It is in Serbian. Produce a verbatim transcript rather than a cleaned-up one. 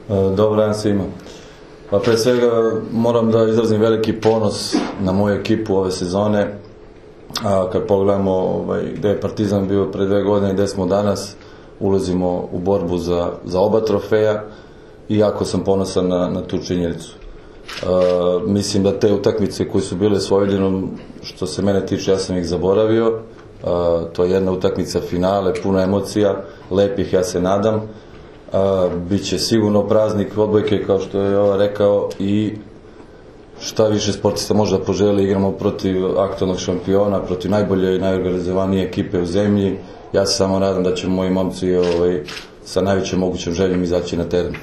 Dobar dan svima. Pa pre svega moram da izrazim veliki ponos na moju ekipu ove sezone. A kad pogledamo ovaj, gde je Partizan bio pre dve godine i gde smo danas, ulazimo u borbu za, za oba trofeja i jako sam ponosan na, na tu činjenicu. A, mislim da te utakmice koje su bile s Vojvodinom, što se mene tiče, ja sam ih zaboravio. A, to je jedna utakmica finale, puno emocija, lepih, ja se nadam. A, biće sigurno praznik odbojke, kao što je ova rekao, i šta više sportista može da poželi. Igramo protiv aktualnog šampiona, protiv najbolje i najorganizovanije ekipe u zemlji. Ja se samo nadam da će moji momci ovaj, sa najvećom mogućom željom izaći na teren.